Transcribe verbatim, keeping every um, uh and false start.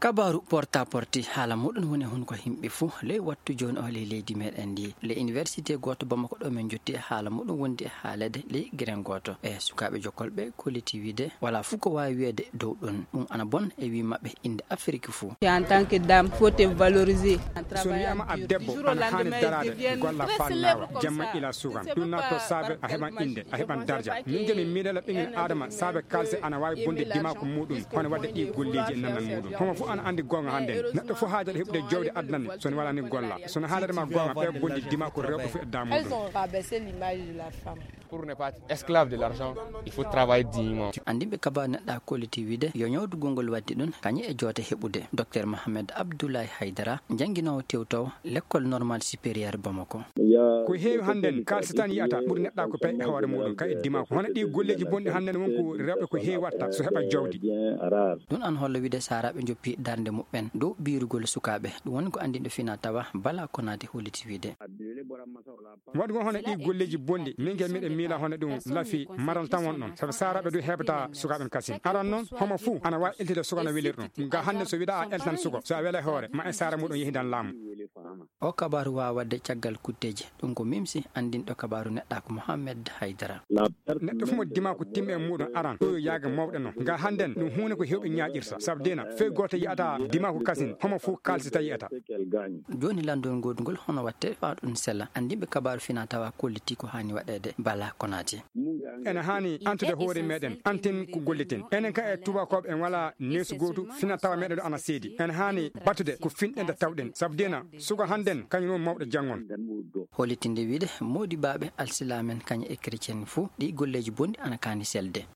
Kabaaru porta porti haala muɗum woni hun ko himɓe fuu ley wattu jooni o ley leydi meɗen ndi. Ley université gooto Bamako ɗo men jotti e haala muɗum wondi e haalede ley giren gooto. E sukaaɓe jokkolɓe kolliti wiide wala fuu ko waawi wiyeede dow ɗum. Ɗum ana bon e wii maɓɓe innde Afiriki fuu. En tant que dame, faut te valoriser. So mi wiyama a debbo, ana haani daraade, golla faa naawa, jamma ila sukan. Ɗum natto saabe a heɓan innde, a heɓan darja. Min je mi miilala ɓingel Adama saabe kalse ana waawi bonde dimaaku muɗum, hono wadde ɗi golleeji e nannan muɗum. Homo fof ana anndi goonga hannden. Neɗɗo fof haajata heɓude jawdi aduna ni, so ne wala ni golla. So ne haalata ma goonga, ɓe bondi dimaaku rewɓe fof e damuɗum. Pour ne pas être esclave de l'argent, il faut travailler dignement. Anndinɓe kabaaru neɗɗa kolliti wiide yo ñawdugol ngol waddi ɗum kañum e joote heɓude. Docteur Mohamed Abdoulaye Haydara, jannginoowo tewtowo lekkol normal supérieur Bamako. Ko heewi hannden kaalisi tan yiyata ɓuri neɗɗa ko pay e hoore muɗum kay e dimaaku. Hono ɗi golleeji bonɗi hannden won ko rewɓe ko heewi watta so heɓa jawdi. Ɗum an holla wiide saaraaɓe njoppi darnde muɓɓen dow biirugol sukaaɓe. Ɗum woni ko anndinɗo fina tawa Bala Konaate holliti wiide. Waɗugol hono ɗi golleeji bonɗi, min ke miɗen miila hono ɗum lafi maral tan won ɗon. Sabu saaraaɓe du heɓata sukaaɓe en kasin. Aran noon, homo fuu ana waawi eltide suka no weliri ɗum. Nga hannde so wiɗa a eltan suko, so a wela e hoore, ma e saara muɗum yehidan laamu. O kabaaru waawa waɗde caggal kutteeji. Ɗum ko mimsi anndinɗo kabaaru neɗɗa ko Mohamed Haydara. Neɗɗo fof mo dimaaku timmi e muɗum aran, ɗo yo yaaga mawɗe noon. Nga hannden, ɗum huunde ko heewɓe ñaaƴirta. Sabu dina, fey gooto yiyata dimaaku kasin, homo fuu kaalsita yiyata. Jooni lanndol ngoodugol hono watte faa ɗum sella. Anndinɓe kabaaru fina tawa kolliti ko haani waɗeede Bala Konaate. Ene haani antude hoore meɗen, anten ko golliten. Enen ka e tubakooɓe en wala neesu gootu, fina tawa meɗen ɗo ana seedi. Ene haani battude ko finɗen da tawɗen. Sabu dina, suka hannden, kañum woni mawɗo janngon. Hollitinde wiide, moodibaaɓe alsilaamen kañum e chrétien fuu, ɗi golleeji bonɗi ana kaani selde.